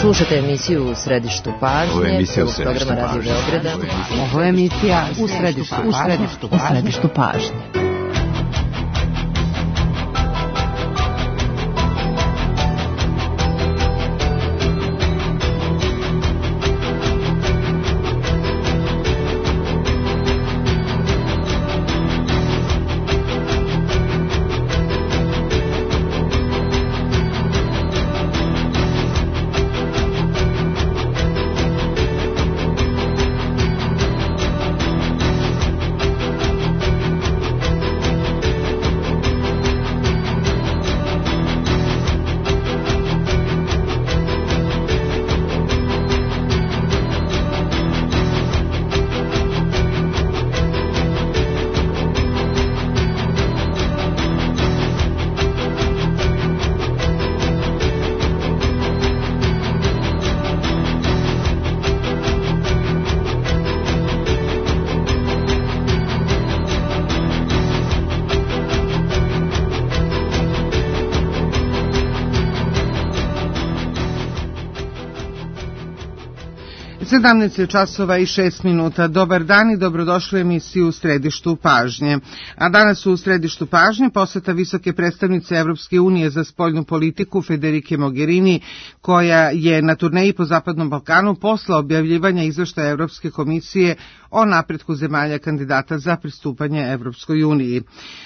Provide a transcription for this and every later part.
Slušate emisiju U središtu pažnje, programa Radio Beograda. Ovo je emisija U središtu pažnje. časova i 6 minuta. Dobar dan i dobrodošli u emisiju U središtu pažnje. A danas u središtu pažnje poseta visoke predstavnice Evropske unije za spoljnu politiku Federike Mogherini, koja je na turneji po Zapadnom Balkanu posle objavljivanja izveštaja Evropske komisije o napretku zemalja kandidata za pristupanje Evropskoj uniji.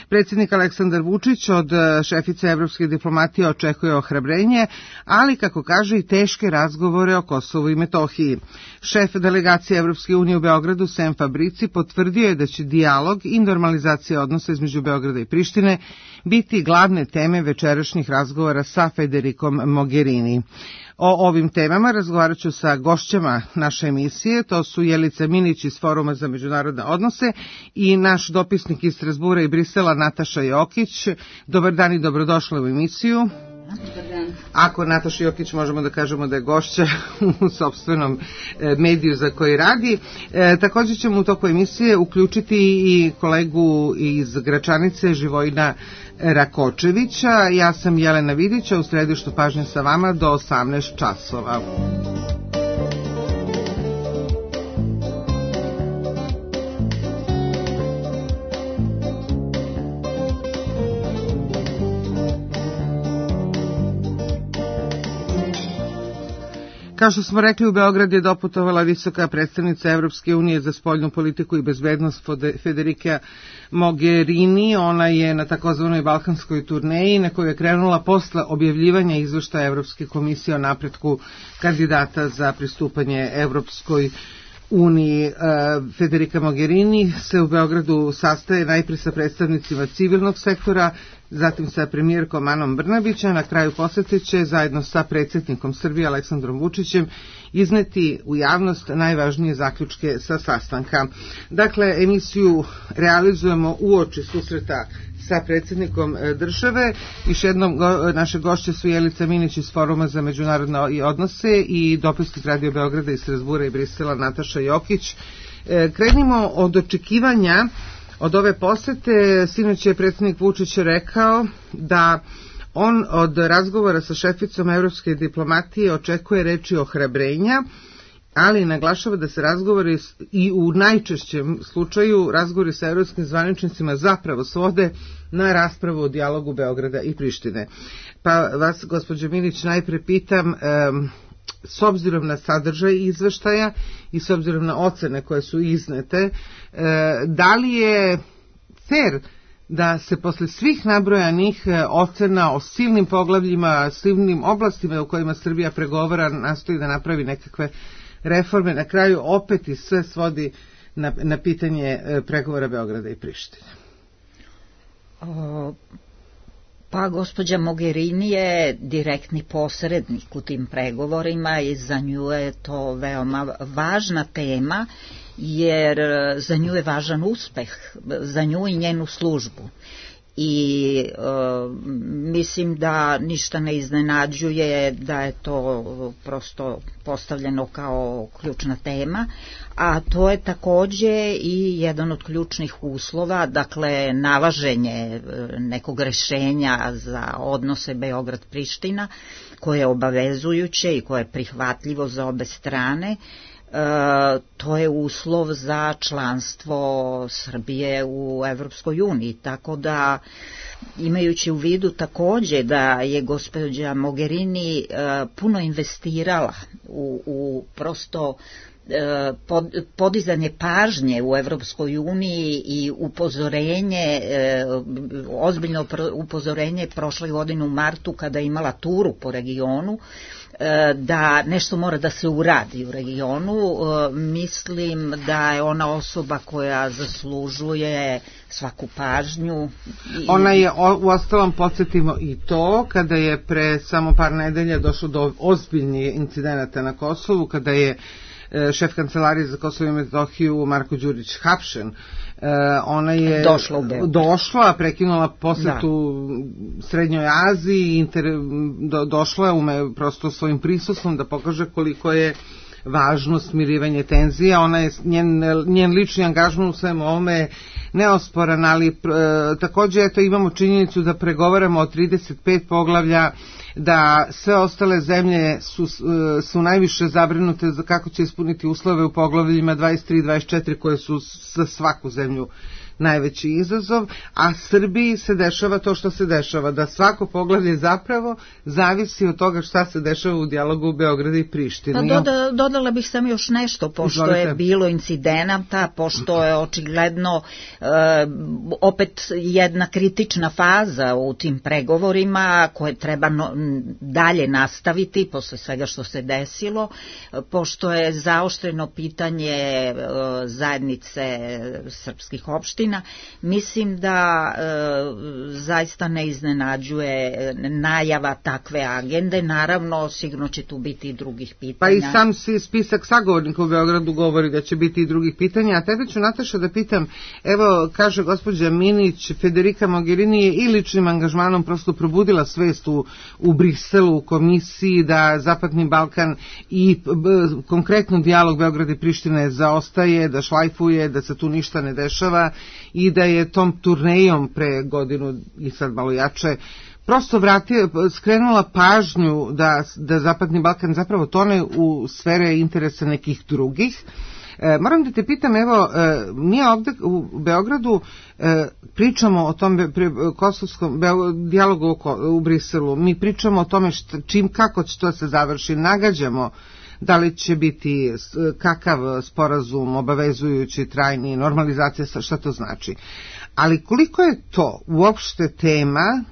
Predsjednik Aleksandar Vučić od šefice evropske diplomatije očekuje ohrabrenje, ali, kako kaže, i teške razgovore o Kosovu i Metohiji. Šef delegacije Evropske unije u Beogradu, Sem Fabrici, potvrdio je da će dijalog i normalizacija odnosa između Beograda i Prištine biti glavne teme večerašnjih razgovora sa Federikom Mogherini. O ovim temama razgovarat ću sa gošćama naše emisije, to su Jelica Minić iz Foruma za međunarodne odnose i naš dopisnik iz Strazbura i Brisela Nataša Jokić. Dobar dan i dobrodošla u emisiju. Ako Nataša Jokić možemo da kažemo da je gošća u sopstvenom mediju za koji radi. Također ćemo u toku emisije uključiti i kolegu iz Gračanice, Živojina Rakočevića. Ja sam Jelena Vidića, u središtu pažnje sa vama do 18 časova. Kao što smo rekli, u Beograd je doputovala visoka predstavnica Evropske unije za spoljnu politiku i bezbednost Federika Mogherini. Ona je na takozvanoj balkanskoj turneji na kojoj je krenula posle objavljivanja izveštaja Evropske komisije o napretku kandidata za pristupanje Evropskoj uniji. Federika Mogherini se u Beogradu sastaje najprije sa predstavnicima civilnog sektora, zatim sa premijerkom Anom Brnabić, a na kraju posete će zajedno sa predsjednikom Srbije Aleksandrom Vučićem izneti u javnost najvažnije zaključke sa sastanka. Dakle, emisiju realizujemo uoči susreta sa predsjednikom države. Još jednom naše gošće su Jelica Minić iz Foruma za međunarodne odnose i dopisnik Radio Beograda iz Strazbura i Brisela Nataša Jokić. Krenimo od očekivanja od ove posete. Sinoć je predsjednik Vučić rekao da on od razgovora sa šeficom evropske diplomatije očekuje reči ohrabrenja, ali naglašava da se razgovori i u najčešćem slučaju razgovori sa evropskim zvaničnicima zapravo svode na raspravu o dijalogu Beograda i Prištine. Pa vas, gospođo Minić, najpre pitam, s obzirom na sadržaj izveštaja i s obzirom na ocene koje su iznete, da li je fair da se posle svih nabrojanih ocena o silnim poglavljima, silnim oblastima u kojima Srbija pregovara, nastoji da napravi nekakve reforme, na kraju opet i sve svodi na pitanje pregovora Beograda i Prištine? Pa gospođa Mogherini je direktni posrednik u tim pregovorima i za nju je to veoma važna tema, jer za nju je važan uspeh, za nju i njenu službu. i mislim da ništa ne iznenađuje da je to prosto postavljeno kao ključna tema, a to je takođe i jedan od ključnih uslova, dakle nalaženje nekog rešenja za odnose Beograd-Priština koje je obavezujuće i koje je prihvatljivo za obe strane. To je uslov za članstvo Srbije u Evropskoj uniji, tako da imajući u vidu takođe da je gospođa Mogherini puno investirala u prosto podizanje pažnje u Evropskoj uniji i upozorenje, ozbiljno upozorenje prošle godine u martu kada je imala turu po regionu, da nešto mora da se uradi u regionu. Mislim da je ona osoba koja zaslužuje svaku pažnju. Ona je, uostalom podsjetimo i to, kada je pre samo par nedelja došlo do ozbiljnih incidenata na Kosovu, kada je šef kancelarije za Kosovo i Metohiju Marko Đurić hapšen. Ona je došla, prekinula posetu Srednjoj Aziji, došla je prosto svojim prisustvom da pokaže koliko je važno smirivanje tenzija. Ona je, njen lični angažman u svemu ovome neosporan, ali takođe imamo činjenicu da pregovaramo o 35 poglavlja, da sve ostale zemlje su najviše zabrinute za kako će ispuniti uslove u poglavljima 23 i 24 koje su za svaku zemlju najveći izazov, a Srbiji se dešava to što se dešava, da svako poglavlje zapravo zavisi od toga šta se dešava u dijalogu u Beogradu i Prištini. Pa dodala bih sam još nešto, pošto je bilo incidenata, pošto je očigledno opet jedna kritična faza u tim pregovorima koje treba dalje nastaviti posle svega što se desilo, pošto je zaoštreno pitanje zajednice srpskih opština. Mislim da zaista ne iznenađuje najava takve agende. Naravno, sigurno će tu biti i drugih pitanja. Pa i sam spisak sagovornika u Beogradu govori da će biti i drugih pitanja. A tebe ću, Nataša, da pitam, evo, kaže gospođa Minić, Federica Mogherini je i ličnim angažmanom prosto probudila svest u Briselu, u komisiji, da Zapadni Balkan i konkretno dijalog Beograda i Prištine zaostaje, da šlajfuje, da se tu ništa ne dešava i da je tom turnejom pre godinu i sad malo jače prosto skrenula pažnju da Zapadni Balkan zapravo tone u sfere interesa nekih drugih. Moram da te pitam, evo, mi ovde u Beogradu pričamo o tom kosovskom dijalogu u Briselu, mi pričamo o tome kako će to se završi, nagađamo da li će biti kakav sporazum obavezujući, trajni, normalizacija, šta to znači. Ali koliko je to uopšte tema,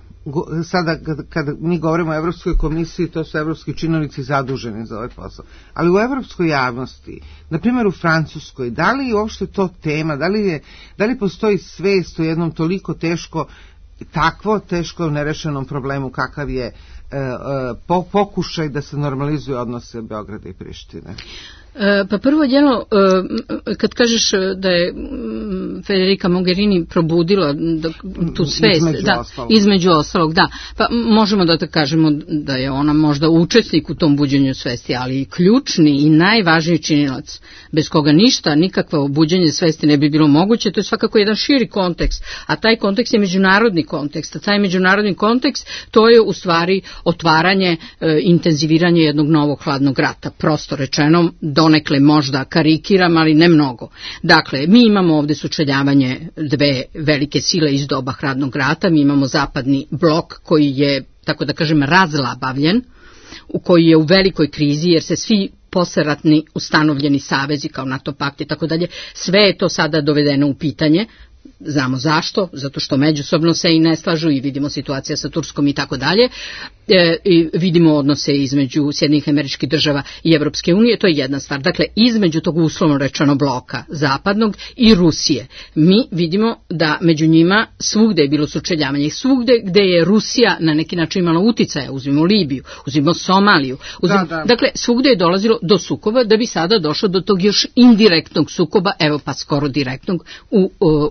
sada kada mi govorimo o Evropskoj komisiji, to su evropski činovnici zaduženi za ovaj posao, ali u evropskoj javnosti, na primjer u Francuskoj, da li je uopšte to tema, da li postoji svest o jednom toliko takvo teško nerešenom problemu kakav je pokušaj da se normalizuje odnose Beograda i Prištine? Pa prvo jedno, kad kažeš da je Federica Mogherini probudila tu svest, između ostalog, da, pa možemo da kažemo da je ona možda učesnik u tom buđenju svesti, ali i ključni i najvažniji činilac, bez koga ništa, nikakvo buđenje svesti ne bi bilo moguće, to je svakako jedan širi kontekst, a taj kontekst je međunarodni kontekst, a taj međunarodni kontekst to je u stvari otvaranje, intenziviranje jednog novog hladnog rata, prosto rečeno, donekle možda karikiram, ali ne mnogo. Dakle, mi imamo ovde sučeljavanje dve velike sile iz doba hladnog rata, mi imamo zapadni blok koji je, tako da kažem, razlabavljen, u koji je u velikoj krizi jer se svi posleratni ustanovljeni savezi kao NATO pakt i tako dalje, sve je to sada dovedeno u pitanje. Znamo zašto, zato što međusobno se i ne slažu i vidimo situacija sa Turskom i tako dalje. I vidimo odnose između Sjedinjenih Američkih Država i Evropske unije, to je jedna stvar. Dakle, između tog uslovno rečeno bloka zapadnog i Rusije. Mi vidimo da među njima svugde je bilo sučeljavanje. Svugde gde je Rusija na neki način imala uticaja, uzmimo Libiju, uzmimo Somaliju. Dakle, svugde je dolazilo do sukoba da bi sada došlo do tog još indirektnog sukoba, evo pa skoro direktnog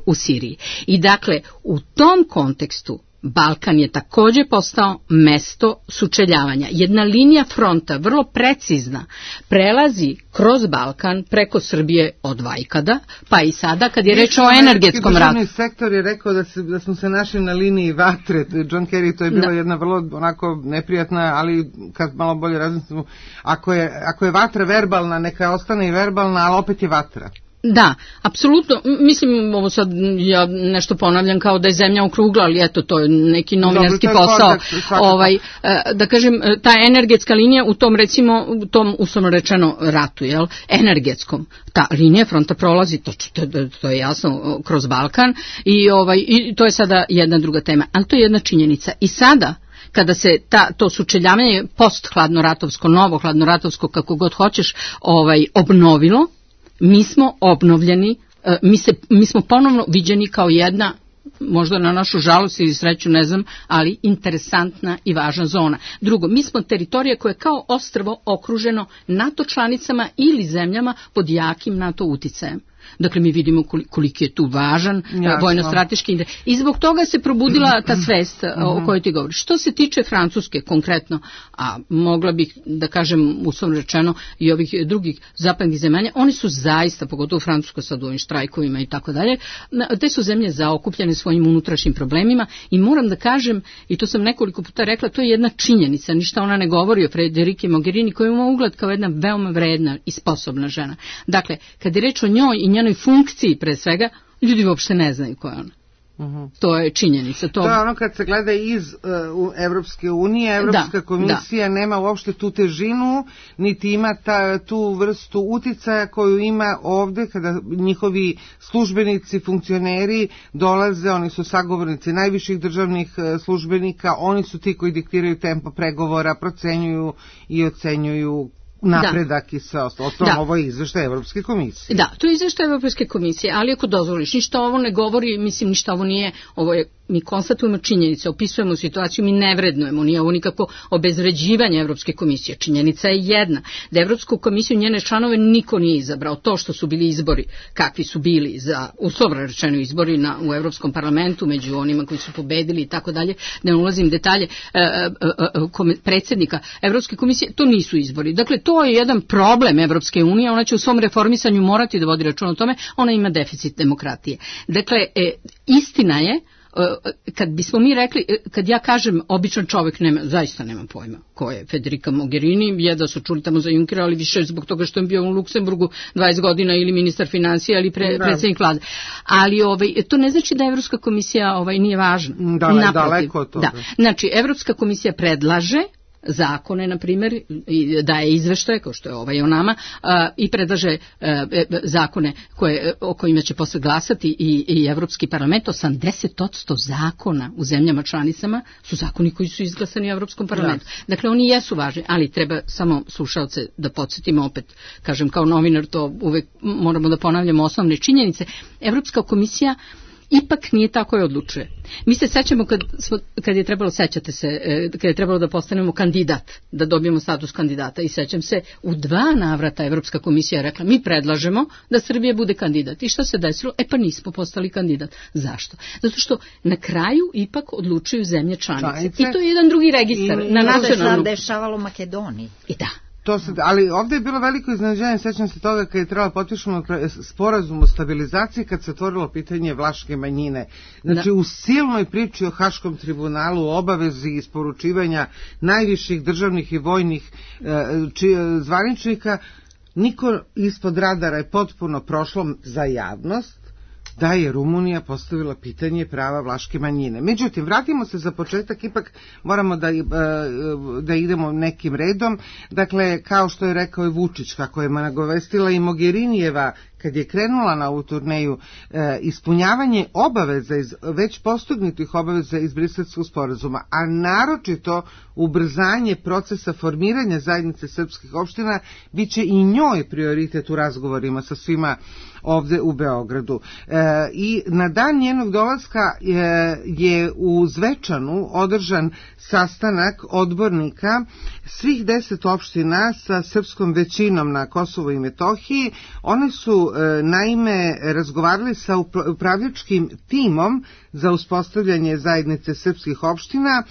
u Siriji. Siriji. I dakle, u tom kontekstu Balkan je također postao mesto sučeljavanja. Jedna linija fronta, vrlo precizna, prelazi kroz Balkan preko Srbije od vajkada, pa i sada kad je reč o energetskom ratu. Državni sektor je rekao da smo se našli na liniji vatre. John Kerry, to je bila jedna vrlo onako neprijatna, ali kad malo bolje razmislimo, ako je vatra verbalna, neka ostane i verbalna, ali opet je vatra. Da, apsolutno, mislim, ovo sad ja nešto ponavljam kao da je zemlja okrugla, ali eto, to je neki novinarski posao. Da kažem, ta energetska linija u tom, recimo, u tom uslovno rečeno ratu, jel, energetskom, ta linija fronta prolazi, to je jasno, kroz Balkan i to je sada jedna druga tema, ali to je jedna činjenica. I sada, kada se to sučeljavanje post-hladnoratovsko, novo hladnoratovsko, kako god hoćeš, obnovilo, mi smo obnovljeni, mi smo ponovno viđeni kao jedna, možda na našu žalost ili sreću, ne znam, ali interesantna i važna zona. Drugo, mi smo teritorija koja je kao ostrvo okruženo NATO članicama ili zemljama pod jakim NATO uticajem. Dakle, mi vidimo koliki je tu važan vojno-strateški interes. I zbog toga se probudila ta svest o kojoj ti govoriš. Što se tiče Francuske konkretno, a mogla bih da kažem uslovno rečeno i ovih drugih zapadnih zemalja, oni su zaista, pogotovo Francuska sad u ovim štrajkovima i tako dalje, te su zemlje zaokupljene svojim unutrašnjim problemima i moram da kažem, i to sam nekoliko puta rekla, to je jedna činjenica, ništa ona ne govori o Federiki Mogherini, koja ima ugled kao jedna veoma vredna i sposobna žena. Dakle, kad je reč o njoj i njenoj funkciji pre svega, ljudi uopšte ne znaju ko je ona. To je činjenica. To je ono kad se gleda iz Evropske unije, Evropska komisija nema uopšte tu težinu, niti ima tu vrstu uticaja koju ima ovde kada njihovi službenici, funkcioneri dolaze, oni su sagovornici najviših državnih službenika, oni su ti koji diktiraju tempo pregovora, procenjuju i ocenjuju napredak i sve ostalo. Ovo je izveštaj Evropske komisije. Da, to je izveštaj Evropske komisije, ali ako dozvoliš, ništa ovo ne govori, mislim, ništa ovo nije, ovo je, mi konstatujemo činjenice, opisujemo situaciju, mi ne vrednujemo, nije ovo nikako obezvređivanje Evropske komisije. Činjenica je jedna, da Evropsku komisiju njene članove niko nije izabrao. To što su bili izbori, kakvi su bili za uslovno rečeno izbori u Evropskom parlamentu, među onima koji su pobedili i tako dalje, da ne ulazim detalje predsjednika Evropske komisije, to nisu izbori. Dakle, to je jedan problem Evropske unije, ona će u svom reformisanju morati da vodi račun o tome, ona ima deficit demokratije. Dakle, istina je, kad bismo mi rekli, kad ja kažem običan čovjek zaista nema pojma ko je Federica Mogherini, je da su čuli tamo za Junckera, ali više zbog toga što je bio u Luksemburgu 20 godina ili ministar financija ili predsjednik vlade. Ali to ne znači da Evropska komisija nije važna. Daleko od toga. Znači, Evropska komisija predlaže zakone, na primjer, daje izveštaje, kao što je o nama, i predlaže zakone o kojima će posle glasati i Evropski parlament. 80% zakona u zemljama članicama su zakoni koji su izglasani u Evropskom parlamentu. Dakle, oni jesu važni, ali treba samo slušalce da podsjetimo, opet, kažem, kao novinar, to uvek moramo da ponavljamo osnovne činjenice. Evropska komisija ipak nije tako je odlučuje. Mi se sećamo kad je trebalo, sećate se, kad je trebalo da postanemo kandidat, da dobijemo status kandidata, i sećam se, u 2 navrata Evropska komisija je rekla, mi predlažemo da Srbija bude kandidat. I šta se desilo? Pa nismo postali kandidat. Zašto? Zato što na kraju ipak odlučuju zemlje članice. I to je jedan drugi registar na nacionalnom. To se dešavalo Makedoniji. I da. Ali ovdje je bilo veliko iznenađenje, sećam se toga kad je trebalo potpišemo sporazum o stabilizaciji, kad se otvorilo pitanje vlaške manjine. Znači, u silnoj priči o Haškom tribunalu, o obavezi isporučivanja najviših državnih i vojnih zvaničnika, niko ispod radara je potpuno prošlo za javnost da je Rumunija postavila pitanje prava vlaške manjine. Međutim, vratimo se za početak, ipak moramo da idemo nekim redom. Dakle, kao što je rekao i Vučić, kako je nagovestila i Mogherinijeva kad je krenula na ovu turneju, ispunjavanje obaveza, već postignutih obaveza iz Briselskog sporazuma, a naročito ubrzanje procesa formiranja zajednice srpskih opština, bit će i njoj prioritet u razgovorima sa svima ovde u Beogradu. I na dan njenog dolaska je u Zvečanu održan sastanak odbornika svih 10 opština sa srpskom većinom na Kosovu i Metohiji. One su naime razgovarali sa upravljačkim timom za uspostavljanje zajednice srpskih opština,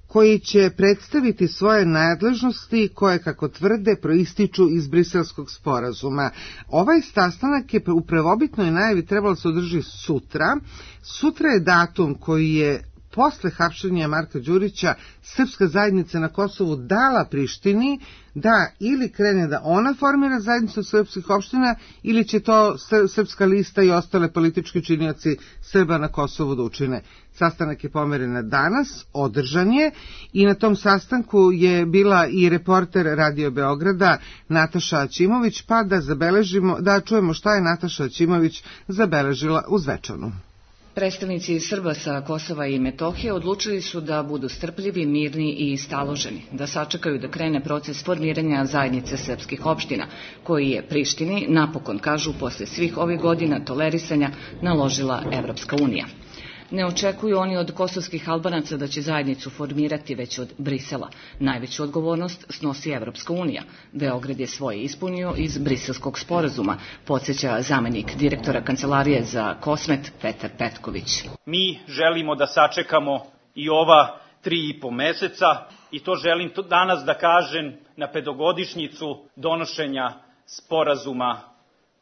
koji će predstaviti svoje nadležnosti koje, kako tvrde, proističu iz Briselskog sporazuma. Ovaj sastanak je u prvobitnoj najavi trebalo se održi sutra. Sutra je datum koji je posle hapšenja Marka Đurića srpska zajednica na Kosovu dala Prištini da ili krene da ona formira zajednicu srpskih opština ili će to Srpska lista i ostale politički činioci Srba na Kosovu da učine. Sastanak je pomeren na danas, održan je i na tom sastanku je bila i reporter Radio Beograda Nataša Aćimović, pa da čujemo šta je Nataša Aćimović zabeležila u Zvečanu. Predstavnici Srba sa Kosova i Metohije odlučili su da budu strpljivi, mirni i staloženi, da sačekaju da krene proces formiranja zajednice srpskih opština, koji je Prištini, napokon kažu, posle svih ovih godina tolerisanja naložila Evropska unija. Ne očekuju oni od kosovskih Albanaca da će zajednicu formirati već od Brisela. Najveću odgovornost snosi Evropska unija. Beograd je svoje ispunio iz Briselskog sporazuma, podsjeća zamenik direktora Kancelarije za Kosmet Petar Petković. Mi želimo da sačekamo i ova 3,5 meseca i to želim danas da kažem na petogodišnjicu donošenja sporazuma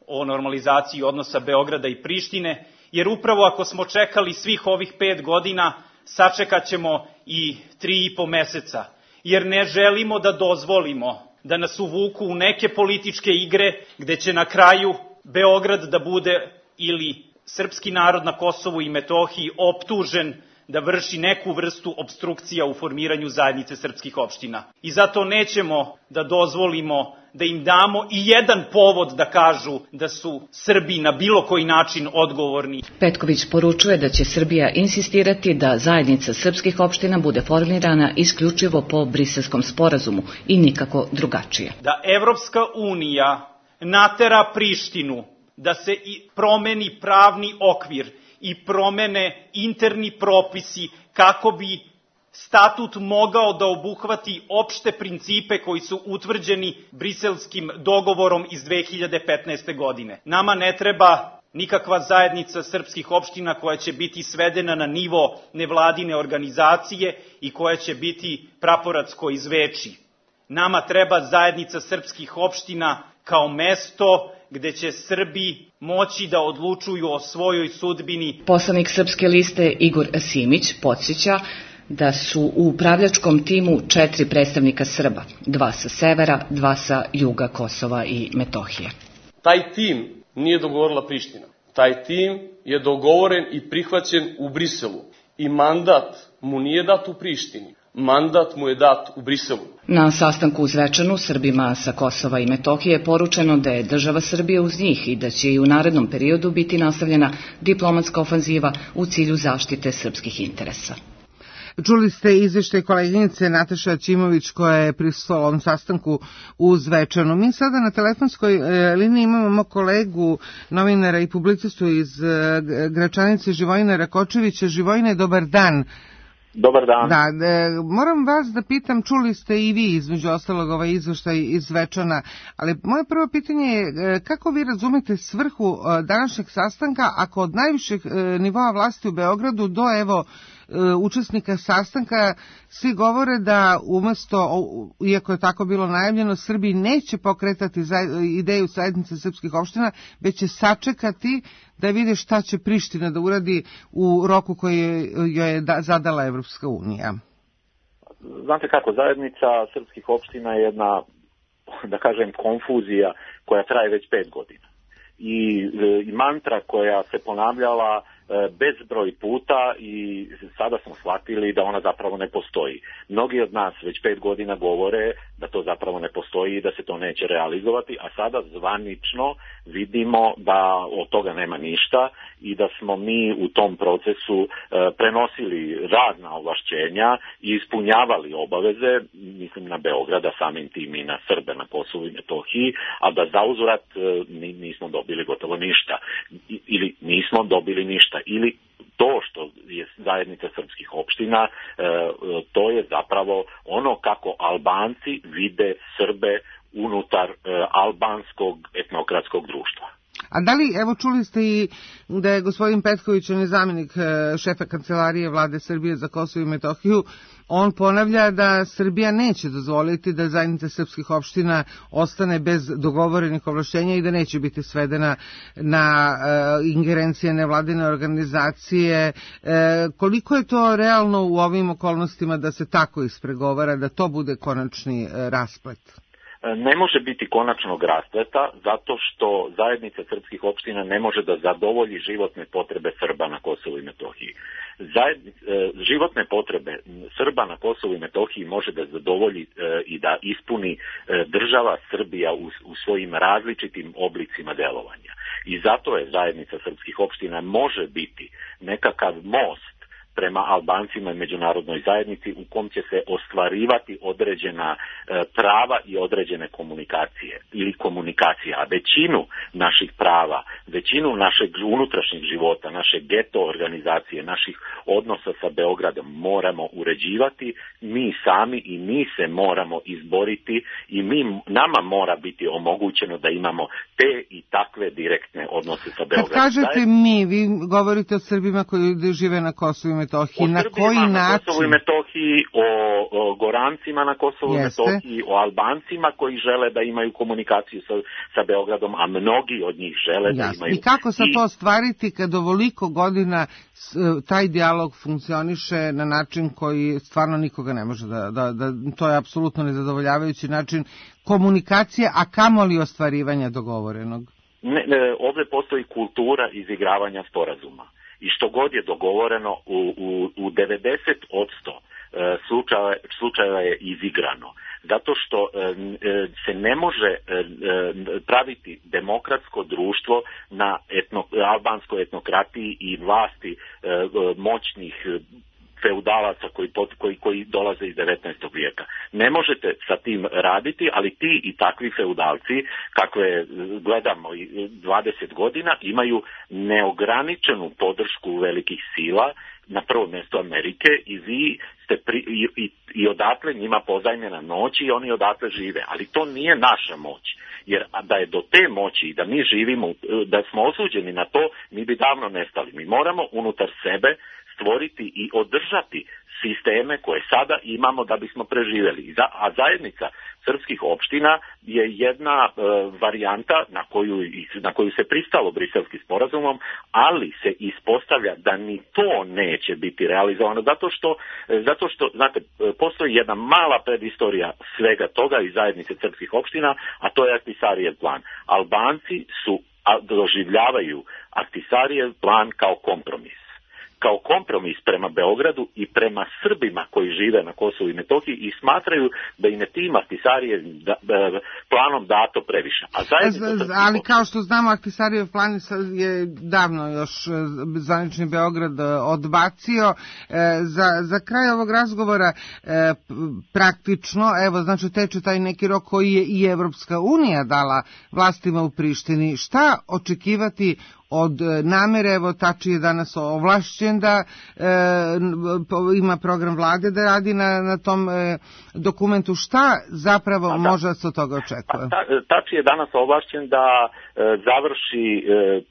o normalizaciji odnosa Beograda i Prištine, jer upravo ako smo čekali svih ovih 5 godina, sačekat ćemo i 3,5 meseca, jer ne želimo da dozvolimo da nas uvuku u neke političke igre gde će na kraju Beograd da bude ili srpski narod na Kosovu i Metohiji optužen da vrši neku vrstu opstrukcija u formiranju zajednice srpskih opština. I zato nećemo da dozvolimo da im damo i jedan povod da kažu da su Srbi na bilo koji način odgovorni. Petković poručuje da će Srbija insistirati da zajednica srpskih opština bude formirana isključivo po Briselskom sporazumu i nikako drugačije. Da Evropska unija natera Prištinu da se promeni pravni okvir i promene interni propisi kako bi statut mogao da obuhvati opšte principe koji su utvrđeni Briselskim dogovorom iz 2015. godine. Nama ne treba nikakva zajednica srpskih opština koja će biti svedena na nivo nevladine organizacije i koja će biti praporacko iz Veči. Nama treba zajednica srpskih opština kao mesto gde će Srbi moći da odlučuju o svojoj sudbini. Poslanik Srpske liste Igor Simić podsjeća da su u upravljačkom timu 4 predstavnika Srba, 2 sa severa, 2 sa juga Kosova i Metohije. Taj tim nije dogovorila Priština. Taj tim je dogovoren i prihvaćen u Briselu i mandat mu nije dat u Prištini. Mandat mu je dat u Briselu. Na sastanku u Zvečanu Srbima sa Kosova i Metohije je poručeno da je država Srbije uz njih i da će i u narednom periodu biti nastavljena diplomatska ofanziva u cilju zaštite srpskih interesa. Čuli ste izveštaj koleginice Nataše Aćimović koja je prisustvovala ovom sastanku u Zvečanu. Mi sada na telefonskoj liniji imamo kolegu, novinara i publicistu iz Gračanice, Živojina Rakočevića. Živojine, dobar dan. Dobar dan. Da, moram vas da pitam, čuli ste i vi između ostalog ovaj izveštaj iz Zvečana, ali moje prvo pitanje je kako vi razumete svrhu današnjeg sastanka ako od najvišeg nivoa vlasti u Beogradu do učesnika sastanka svi govore da umesto, iako je tako bilo najavljeno, Srbiji neće pokretati ideju zajednice srpskih opština, već će sačekati da vide šta će Priština da uradi u roku koji joj je zadala Evropska unija. Znate kako, zajednica srpskih opština je jedna, da kažem, konfuzija koja traje već 5 godina. I mantra koja se ponavljala bezbroj puta i sada smo shvatili da ona zapravo ne postoji. Mnogi od nas već 5 godina govore da to zapravo ne postoji i da se to neće realizovati, a sada zvanično vidimo da od toga nema ništa i da smo mi u tom procesu prenosili razna ovlašćenja i ispunjavali obaveze, mislim na Beograda, samim tim i na Srbe na Kosovu i Metohiji, a da zauzvrat nismo dobili gotovo ništa ili nismo dobili ništa. Ili to što je zajednica srpskih opština, to je zapravo ono kako Albanci vide Srbe unutar albanskog etnokratskog društva. A da li, evo čuli ste i da je gospodin Petković, on je zamjenik šefa kancelarije Vlade Srbije za Kosovo i Metohiju, on ponavlja da Srbija neće dozvoliti da zajednica srpskih opština ostane bez dogovorenih ovlašćenja i da neće biti svedena na ingerencije nevladine organizacije. Koliko je to realno u ovim okolnostima da se tako ispregovara, da to bude konačni rasplet? Ne može biti konačnog raspleta zato što zajednica srpskih opština ne može da zadovolji životne potrebe Srba na Kosovu i Metohiji. Životne potrebe Srba na Kosovu i Metohiji može da zadovolji i da ispuni država Srbija u svojim različitim oblicima delovanja. I zato je zajednica srpskih opština može biti nekakav most prema Albancima i međunarodnoj zajednici u kom će se ostvarivati određena prava i određene komunikacije ili komunikacija. A većinu naših prava, većinu našeg unutrašnjeg života, naše geto organizacije, naših odnosa sa Beogradom moramo uređivati mi sami i mi se moramo izboriti i nama mora biti omogućeno da imamo te i takve direktne odnose sa Beogradom. Kad kažete mi, vi govorite o Srbima koji žive na Kosovu i Metohiji, na koji način? Na Kosovu i Metohiji, o Gorancima na Kosovu i Metohiji, o Albancima koji žele da imaju komunikaciju sa Beogradom, a mnogi od njih žele da imaju. I kako se to ostvariti kad ovoliko godina taj dijalog funkcioniše na način koji stvarno nikoga ne može to je apsolutno nezadovoljavajući način komunikacije, a kamoli ostvarivanja dogovorenog? Ovdje postoji kultura izigravanja sporazuma. I što god je dogovoreno u 90% slučajeva je izigrano. Zato što se ne može praviti demokratsko društvo na albanskoj etnokratiji i vlasti moćnih feudalaca koji dolaze iz 19. vijeka. Ne možete sa tim raditi, ali ti i takvi feudalci, kakve gledamo 20 godina, imaju neograničenu podršku velikih sila, na prvo mjesto Amerike, i vi ste i odatle njima pozajmljena moć i oni odatle žive. Ali to nije naša moć. Jer da je do te moći da mi živimo, da smo osuđeni na to, mi bi davno nestali. Mi moramo unutar sebe stvoriti i održati sisteme koje sada imamo da bismo preživjeli. A zajednica srpskih opština je jedna varijanta na koju se pristalo Briselskim sporazumom, ali se ispostavlja da ni to neće biti realizovano zato što znate, postoji jedna mala predistorija svega toga iz zajednice srpskih opština, a to je Ahtisarijev plan. Albanci doživljavaju Ahtisarijev plan kao kompromis prema Beogradu i prema Srbima koji žive na Kosovu i Metohiji i smatraju da im je tim Ahtisarijev planom dato previše. Ali kao što znamo, Ahtisarijev plan je davno još zvanični Beograd odbacio. Za kraj ovog razgovora praktično, evo, znači teče taj neki rok koji je i Evropska unija dala vlastima u Prištini. Šta očekivati od namere? Evo, Tači je danas ovlašćen da ima program vlade da radi na tom dokumentu. Šta zapravo može se od toga očekuje? Tači je danas ovlašćen da završi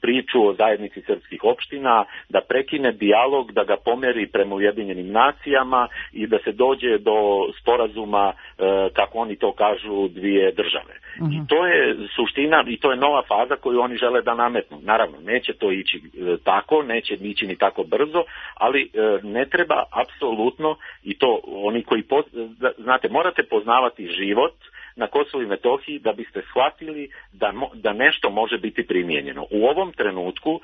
priču o zajednici srpskih opština, da prekine dijalog, da ga pomeri prema Ujedinjenim nacijama i da se dođe do sporazuma, kako oni to kažu, dvije države. I to je suština i to je nova faza koju oni žele da nametnu. Naravno, neće to ići tako, neće ići ni tako brzo, ali ne treba apsolutno, i to oni koji, znate, morate poznavati život na Kosovu i Metohiji da biste shvatili da nešto može biti primijenjeno. U ovom trenutku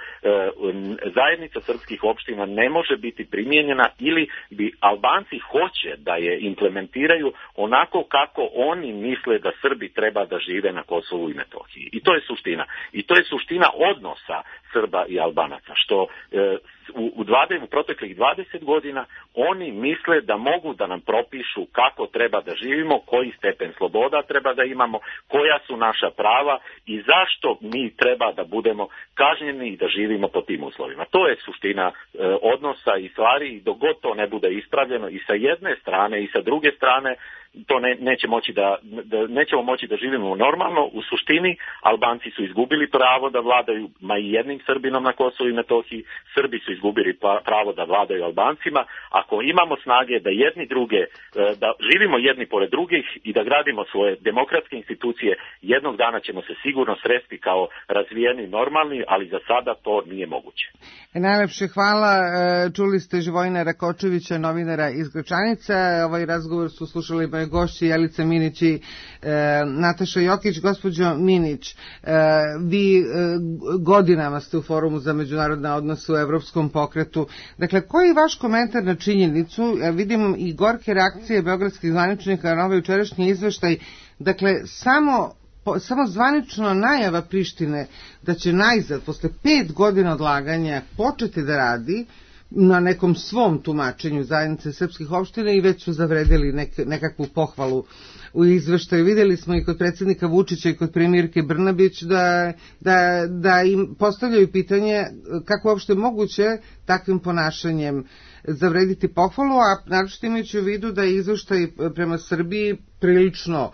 zajednica srpskih opština ne može biti primijenjena ili bi Albanci hoće da je implementiraju onako kako oni misle da Srbi treba da žive na Kosovu i Metohiji. I to je suština. I to je suština odnosa Srba i Albanaca, što u proteklih 20 godina oni misle da mogu da nam propišu kako treba da živimo, koji stepen sloboda treba da imamo, koja su naša prava i zašto mi treba da budemo kažnjeni i da živimo po tim uslovima. To je suština odnosa i stvari i dok god to ne bude ispravljeno i sa jedne strane i sa druge strane, to nećemo moći da živimo normalno. U suštini Albanci su izgubili pravo da vladaju ma i jednim Srbinom na Kosovu i Metohiji, Srbi su izgubili pravo da vladaju Albancima. Ako imamo snage da jedni druge, da živimo jedni pored drugih i da gradimo svoje demokratske institucije, jednog dana ćemo se sigurno sresti kao razvijeni normalni, ali za sada to nije moguće. Najlepše hvala. Čuli ste Živojina Rakočevića, novinara iz Gračanice. Ovaj razgovor su slušali moje gošće Jelica Minić i Nataša Jokić. Gospođo Minić, vi godinama ste u Forumu za međunarodne odnose u Evropskom pokretu. Dakle, koji je vaš komentar na činjenicu? Vidim i gorke reakcije beogradskih zvaničnika na ovaj jučerašnji izveštaj. Dakle, samo zvanično najava Prištine da će najzad, posle 5 godina odlaganja, početi da radi na nekom svom tumačenju zajednice srpskih opština i već su zavredeli nekakvu pohvalu u izveštaju. Videli smo i kod predsjednika Vučića i kod premijerke Brnabić da im postavljaju pitanje kako je uopšte moguće takvim ponašanjem zavrediti pohvalu, a naročito imajući u vidu da je izveštaj prema Srbiji prilično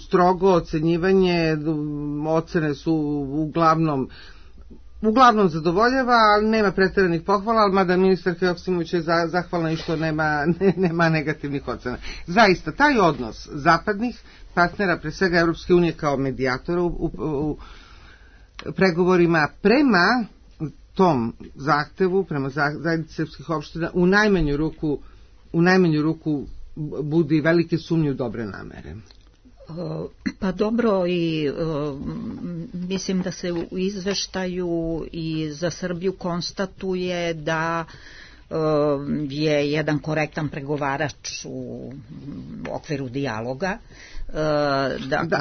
strogo ocenjivanje, ocene su uglavnom zadovoljava, ali nema pretjeranih pohvala, ali mada ministarka Joksimović je zahvalna i što nema negativnih ocena. Zaista, taj odnos zapadnih partnera, pre svega Evropske unije kao medijatora u pregovorima prema tom zahtevu, prema zajednici srpskih opština, u najmanju ruku budi velike sumnje u dobre namere. Pa dobro, i mislim da se u izveštaju i za Srbiju konstatuje da je jedan korektan pregovarač u okviru dijaloga.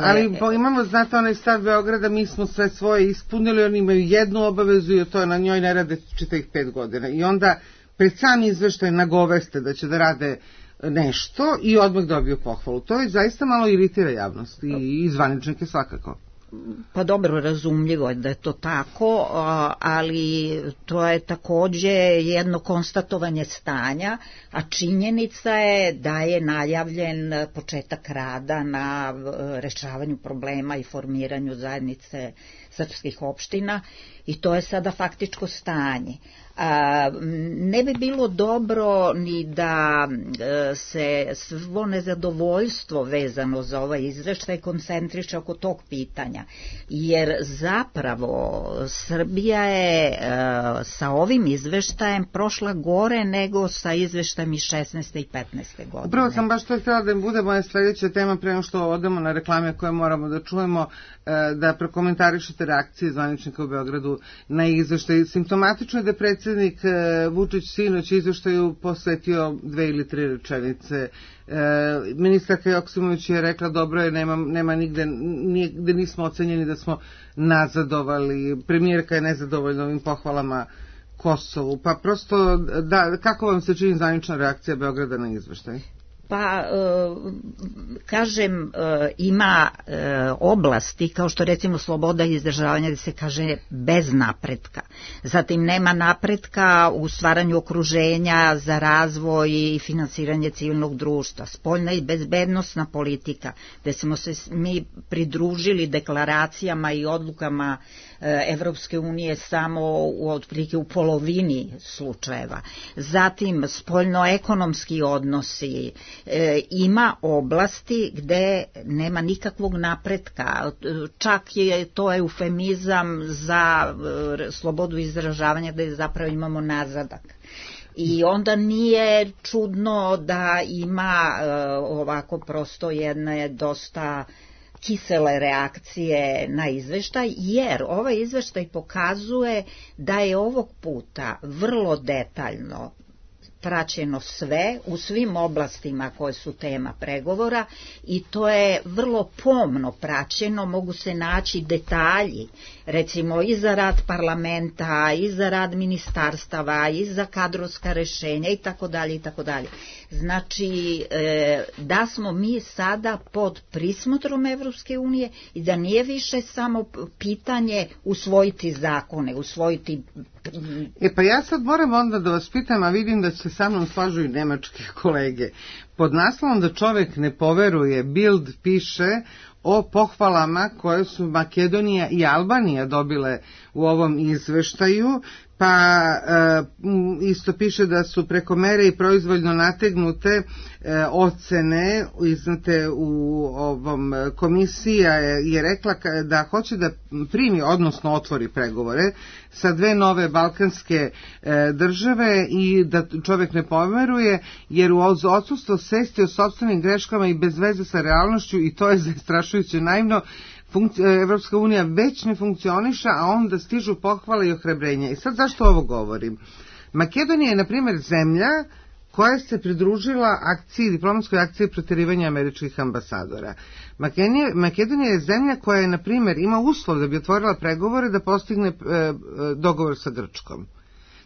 Ali imamo, znate, onaj stav Beograda, mi smo sve svoje ispunili, oni imaju jednu obavezu i to na njoj ne rade čitavih 5 godina. I onda pred sam izveštaj nagoveste da će da rade nešto i odmah dobiju pohvalu. To je zaista malo iritira javnost i zvaničnike svakako. Pa dobro, razumljivo je da je to tako, ali to je takođe jedno konstatovanje stanja, a činjenica je da je najavljen početak rada na rešavanju problema i formiranju zajednice srpskih opština i to je sada faktičko stanje. Ne bi bilo dobro ni da se svo nezadovoljstvo vezano za ovaj izveštaj koncentriše oko tog pitanja, jer zapravo Srbija je sa ovim izveštajem prošla gore nego sa izveštajem iz 16. i 15. godine. Upravo sam baš to htjela da bude moja sljedeća tema pre nego što odemo na reklame koje moramo da čujemo, da prokomentarišete reakcije zvaničnika u Beogradu na izveštaj. Simptomatično je da predsjednik Vučić sinoć izveštaju posvetio 2 ili 3 rečenice. Ministarka Joksimović je rekla dobro je, nema nigde nismo ocenjeni da smo nazadovali. Premijerka je nezadovoljna ovim pohvalama Kosovu. Pa prosto, kako vam se čini zvanična reakcija Beograda na izveštaj? Pa, kažem, ima oblasti, kao što recimo sloboda izražavanja, gde se kaže bez napretka. Zatim nema napretka u stvaranju okruženja za razvoj i finansiranje civilnog društva. Spoljna i bezbednosna politika, gde smo se mi pridružili deklaracijama i odlukama Evropske unije samo otprilike u polovini slučajeva. Zatim spoljno-ekonomski odnosi, ima oblasti gde nema nikakvog napretka, čak je to eufemizam za slobodu izražavanja gde zapravo imamo nazadak. I onda nije čudno da ima ovako prosto jedne dosta kisele reakcije na izveštaj, jer ovaj izveštaj pokazuje da je ovog puta vrlo detaljno praćeno sve u svim oblastima koje su tema pregovora i to je vrlo pomno praćeno, mogu se naći detalji, recimo i za rad parlamenta, i za rad ministarstava, i za kadrovska rešenja i tako dalje i tako dalje. Znači, da smo mi sada pod prismotrom Evropske unije i da nije više samo pitanje usvojiti zakone, usvojiti... Pa ja sad moram onda da vas pitam, a vidim da se sa mnom slažu i nemačke kolege. Pod naslovom da čovek ne poveruje, Bild piše o pohvalama koje su Makedonija i Albanija dobile u ovom izveštaju, pa isto piše da su preko mere i proizvoljno nategnute ocene iznate u ovom, komisija je rekla da hoće da primi, odnosno otvori pregovore sa 2 nove balkanske države i da čovjek ne poveruje, jer uz odsustvo svesti o sopstvenim greškama i bez veze sa realnošću, i to je zastrašujuće naivno, Evropska unija već ne funkcioniša, a onda stižu pohvale i ohrabrenja. I sad zašto ovo govorim? Makedonija je, na primjer, zemlja koja se pridružila diplomatskoj akciji proterivanja američkih ambasadora. Makedonija je zemlja koja je, na primjer, ima uslov da bi otvorila pregovore da postigne dogovor sa Grčkom.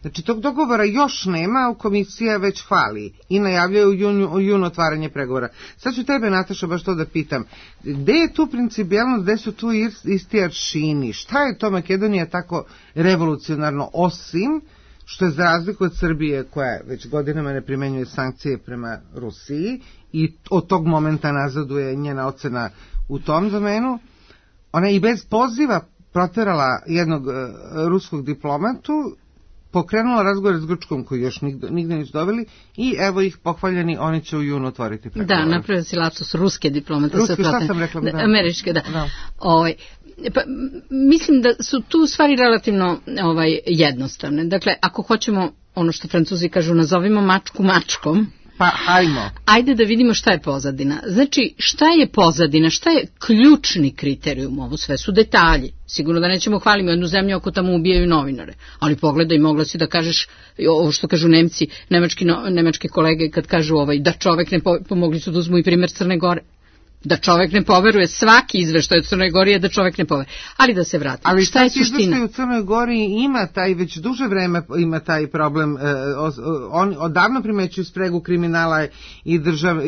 Znači, tog dogovora još nema, a komisija već hvali i najavljaju u junu otvaranje pregovora. Sad ću tebe, Nataša, baš to da pitam. Gde je tu principijelnost, gde su tu isti aršini? Šta je to Makedonija tako revolucionarno, osim što je za razliku od Srbije, koja već godinama ne primenjuje sankcije prema Rusiji i od tog momenta nazaduje njena ocena u tom domenu, ona i bez poziva proterala jednog ruskog diplomatu, pokrenula razgovor s Grčkom koji još nigde nisu doveli i evo ih pohvaljeni, oni će u junu otvoriti pregovore. Da, napravio si lapsus ruske diplomate. Ruske, šta sam rekla? Da. Američke, da. Pa, mislim da su tu stvari relativno jednostavne. Dakle, ako hoćemo, ono što Francuzi kažu, nazovimo mačku mačkom, pa hajmo. Ajde da vidimo šta je pozadina. Znači, šta je pozadina, šta je ključni kriterijum, ovo sve su detalji. Sigurno da nećemo hvaliti jednu zemlju ako tamo ubijaju novinare, ali pogledaj, mogla si da kažeš ovo što kažu Nemci, nemačke kolege kad kažu da čovek ne pomogli su da uzmu i primjer Crne Gore. Da čovek ne poveruje, svaki izveštaj od Crnoj Gori je da čovek ne poveruje. Ali da se vrati. Ali šta je suština? Izveštaj u Crnoj Gori ima taj, već duže vreme ima taj problem. On odavno primećuju spregu kriminala i države.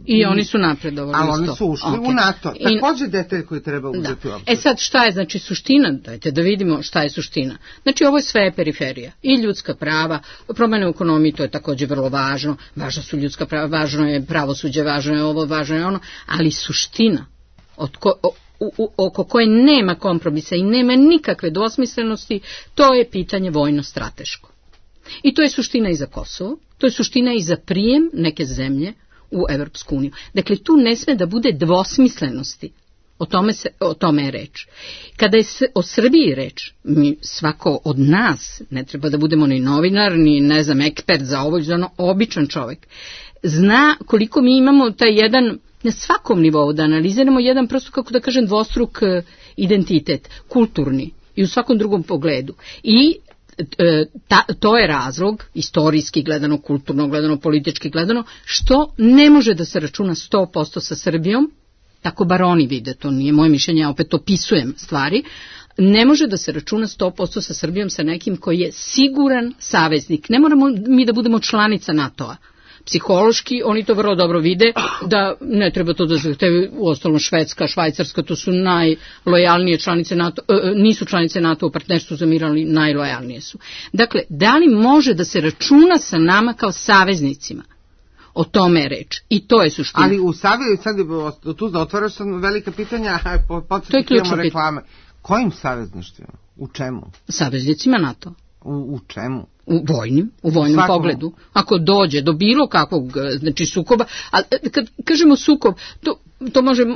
I oni su napredovali. Ali oni su ušli u NATO. Također detalj koji treba uzeti u obzir. Sad šta je znači suština? Dajte da vidimo šta je suština. Znači ovo je sve periferija. I ljudska prava, promjene u ekonomiji, to je također vrlo važno. Važno su ljudska prava, važno je pravosuđe, važno je ovo, važno je ono. Ali suština oko koje nema kompromisa i nema nikakve dvosmislenosti, to je pitanje vojno-strateško. I to je suština i za Kosovo, to je suština i za prijem neke zemlje u Evropsku uniju. Dakle, tu ne sme da bude dvosmislenosti. O tome je reč. Kada je o Srbiji reč, svako od nas, ne treba da budemo ni novinar, ni ekspert za ovo, za ono, običan čovjek, zna koliko mi imamo taj jedan, na svakom nivou da analiziramo jedan prosto, kako da kažem, dvostruk identitet, kulturni i u svakom drugom pogledu. I to je razlog, istorijski gledano, kulturno gledano, politički gledano, što ne može da se računa 100% sa Srbijom, tako bar oni vide, to nije moje mišljenje, ja opet opisujem stvari, ne može da se računa 100% sa Srbijom, sa nekim koji je siguran saveznik. Ne moramo mi da budemo članica NATO-a. Psihološki oni to vrlo dobro vide, da ne treba to da zahtevaju, uostalom Švedska, Švajcarska, to su najlojalnije članice NATO, nisu članice NATO u partnerstvu za mir, ali najlojalnije su. Dakle, da li može da se računa sa nama kao saveznicima? O tome je reč. I to je suština. Ali u savezu, sad tu da otvaraš velika pitanja, podsjetimo reklame. Kojim savezništvima? U čemu? Saveznicima NATO. U čemu? U vojnom pogledu. Ako dođe do bilo kakvog, znači sukoba, a kad kažemo sukob, to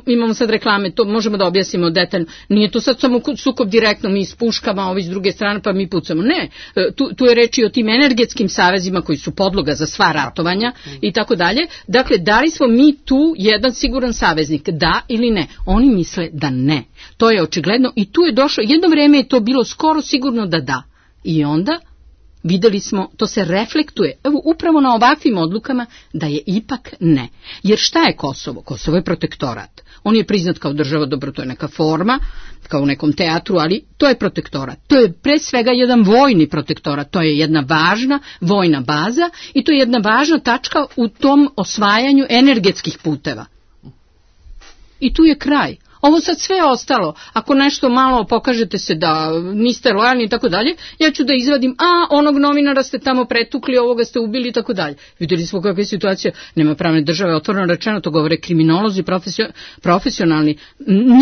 imamo sad reklame, to možemo da objasnimo detaljno. Nije to sad samo sukob direktno, mi s puškama, ovi s druge strane, pa mi pucamo. Ne, tu je reč i o tim energetskim savezima koji su podloga za sva ratovanja i tako dalje. Dakle, da li smo mi tu jedan siguran saveznik, da ili ne? Oni misle da ne. To je očigledno i tu je došlo, jedno vreme je to bilo skoro sigurno da. I onda videli smo, to se reflektuje, evo upravo na ovakvim odlukama, da je ipak ne. Jer šta je Kosovo? Kosovo je protektorat. On je priznat kao država, dobro, to je neka forma, kao u nekom teatru, ali to je protektorat. To je pre svega jedan vojni protektorat, to je jedna važna vojna baza i to je jedna važna tačka u tom osvajanju energetskih puteva. I tu je kraj. Ovo sad sve ostalo, ako nešto malo pokažete se da niste lojalni i tako dalje, ja ću da izvadim, onog novinara ste tamo pretukli, ovoga ste ubili i tako dalje. Vidjeli smo kakva je situacija, nema pravne države, otvoreno rečeno, to govore kriminolozi, profesionalni.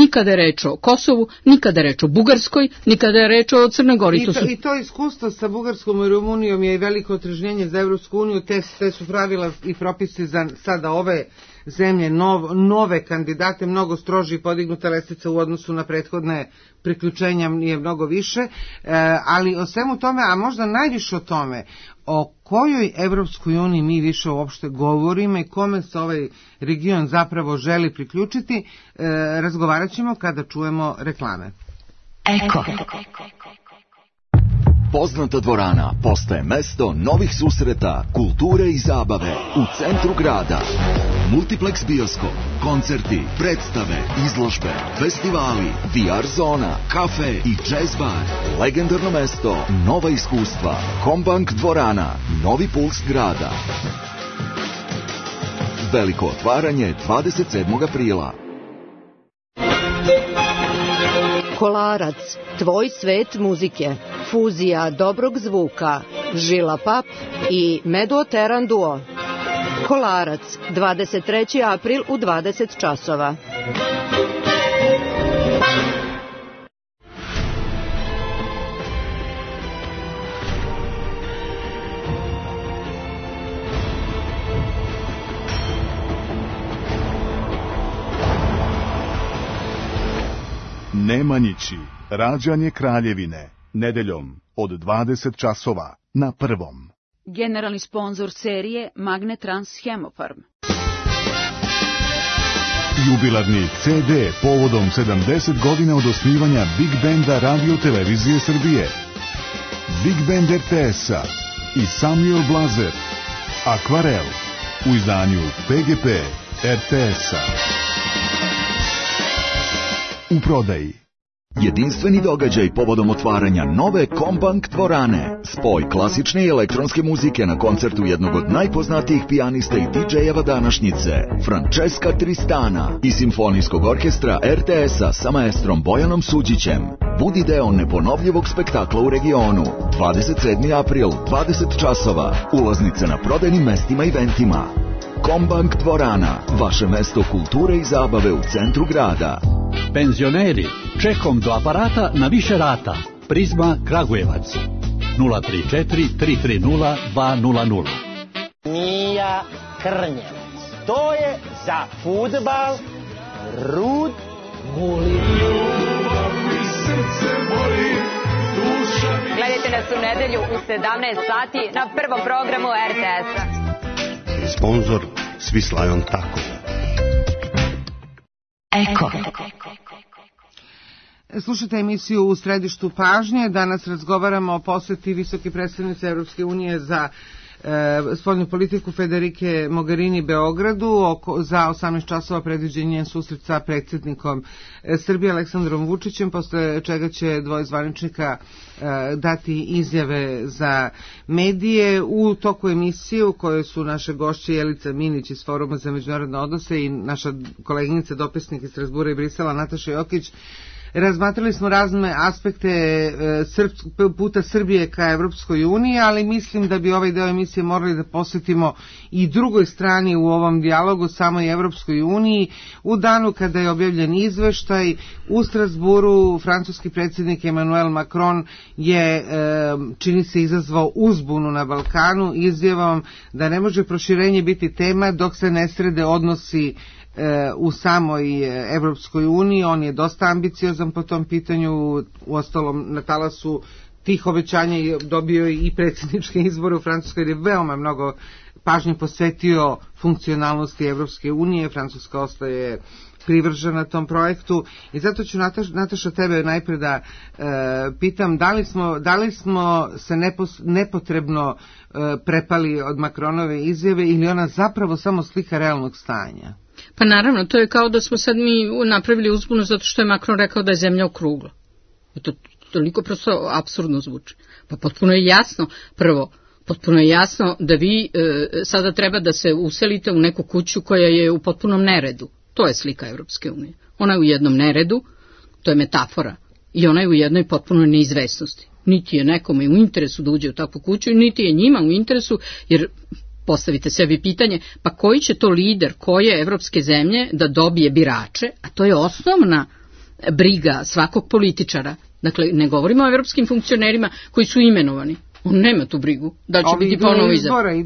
Nikada je reč o Kosovu, nikada je reč o Bugarskoj, nikada je reč o Crnoj Gori. I to iskustvo sa Bugarskom i Rumunijom je veliko otrežnjenje za Evropsku uniju, te su pravila i propisi za sada ove zemlje, nove kandidate, mnogo stroži i podignuta lestvica u odnosu na prethodne priključenja je mnogo više, ali o svemu tome, a možda najviše o tome, o kojoj Evropskoj uniji mi više uopšte govorimo i kome se ovaj region zapravo želi priključiti, razgovarat ćemo kada čujemo reklame. Eko. Poznata dvorana postaje mesto novih susreta, kulture i zabave u centru grada. Multiplex bioskop, koncerti, predstave, izložbe, festivali, VR zona, kafe i jazz bar. Legendarno mesto, nova iskustva. Kombank dvorana, novi puls grada. Veliko otvaranje 27. aprila. Kolarac, tvoj svet muzike, fuzija dobrog zvuka, Žila Pap i Medo Teran Duo. Kolarac, 23. april u 20 časova. Nemanjići, rađanje Kraljevine, nedeljom od 20 časova na Prvom. Generalni sponzor serije Magnetrans Hemofarm. Jubilarni CD povodom 70 godina od osnivanja Big Benda Radio Televizije Srbije. Big Band RTS-a i Samuel Blazer. Akvarel u izdanju PGP RTS-a. U prodaji. Jedinstveni događaj povodom otvaranja nove Kombank dvorane. Spoj klasične i elektronske muzike na koncertu jednog od najpoznatijih pijanista i DJ-eva današnjice, Francesca Tristana, i simfonijskog orkestra RTS-a sa maestrom Bojanom Suđićem. Budi deo neponovljivog spektakla u regionu. 27. april, 20 časova. Ulaznice na prodajnim mestima i eventima. Kombank dvorana, vaše mesto kulture i zabave u centru grada. Penzioneri, čekom do aparata na više rata. Prizma Kragujevac. 034 330 200. Mija Krnjevac. To je za fudbal Rud Bulin. Gledajte nas u nedelju u 17 sati na prvom programu RTS-a. Sponzor Svislajon Tako. Eko. Slušajte emisiju U središtu pažnje. Danas razgovaramo o poseti visoke predstavnice Evropske unije za spoljnu politiku Federike Mogherini Beogradu. Za 18 časova predviđen njen susret sa predsjednikom Srbije Aleksandrom Vučićem, posle čega će dvoje zvaničnika dati izjave za medije. U toku emisije u kojoj su naše gošće Jelica Minić iz Foruma za međunarodne odnose i naša koleginica dopisnik iz Strasbura i Brisela Nataša Jokić, razmatrali smo razne aspekte puta Srbije ka Evropskoj uniji, ali mislim da bi ovaj deo emisije morali da posvetimo i drugoj strani u ovom dijalogu, samoj Evropskoj uniji. U danu kada je objavljen izveštaj u Strasburu, francuski predsjednik Emmanuel Macron je, čini se, izazvao uzbunu na Balkanu izjavom da ne može proširenje biti tema dok se ne srede odnosi u samoj Evropskoj uniji. On je dosta ambiciozan po tom pitanju, uostalom na talasu tih obećanja dobio i predsjedničke izbore u Francuskoj, jer je veoma mnogo pažnje posvetio funkcionalnosti Evropske unije, Francuska ostaje privržena tom projektu i zato ću Nataša tebe najpre da pitam da li smo se nepotrebno prepali od Macronove izjave ili ona zapravo samo slika realnog stanja? Pa naravno, to je kao da smo sad mi napravili uzbunu zato što je Macron rekao da je zemlja okrugla. To toliko prosto apsurdno zvuči. Pa potpuno je jasno, prvo, potpuno je jasno da vi sada treba da se uselite u neku kuću koja je u potpunom neredu. To je slika Evropske unije. Ona je u jednom neredu, to je metafora, i ona je u jednoj potpunoj neizvesnosti. Niti je nekome u interesu da uđe u takvu kuću, niti je njima u interesu, jer postavite sebi pitanje, pa koji će to lider koje evropske zemlje da dobije birače, a to je osnovna briga svakog političara. Dakle, ne govorimo o evropskim funkcionerima koji su imenovani. On nema tu brigu, da će biti ponovo izabran.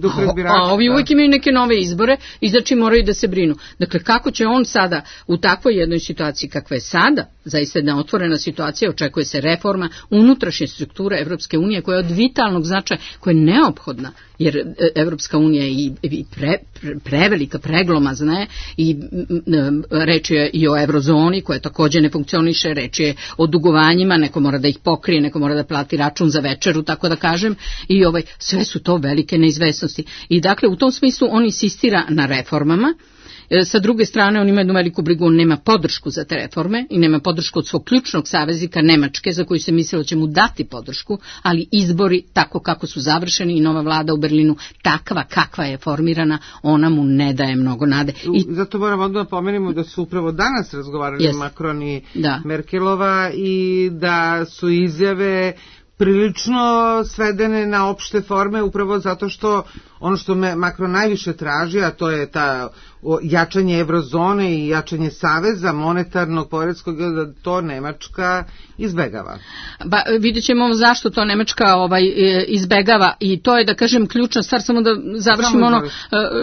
A ovi uvijek imaju neke nove izbore i znači moraju da se brinu. Dakle, kako će on sada u takvoj jednoj situaciji kakva je sada, zaista jedna otvorena situacija, očekuje se reforma unutrašnje strukture Evropske unije koja je od vitalnog značaja, koja je neophodna, jer Evropska unija je i prevelika, preglomazna je i reč je i o eurozoni koja također ne funkcioniše, reč je o dugovanjima, neko mora da ih pokrije, neko mora da plati račun za večeru, tako da kažem, i sve su to velike neizvesnosti. I dakle, u tom smislu on insistira na reformama. Sa druge strane, on ima jednu veliku brigu, on nema podršku za te reforme i nema podršku od svog ključnog saveznika Nemačke, za koju se mislilo će mu dati podršku, ali izbori tako kako su završeni i nova vlada u Berlinu takva kakva je formirana, ona mu ne daje mnogo nade. Zato moramo odmah pomenimo da su upravo danas razgovarali Macron i Merkelova i da su izjave prilično svedene na opšte forme upravo zato što ono što Macron najviše traži, a to je ta jačanje eurozone i jačanje saveza monetarnog poredskog, da to Nemačka izbegava. Ba, vidjet ćemo zašto to Nemačka izbegava i to je, da kažem, ključna stvar, samo da završimo ono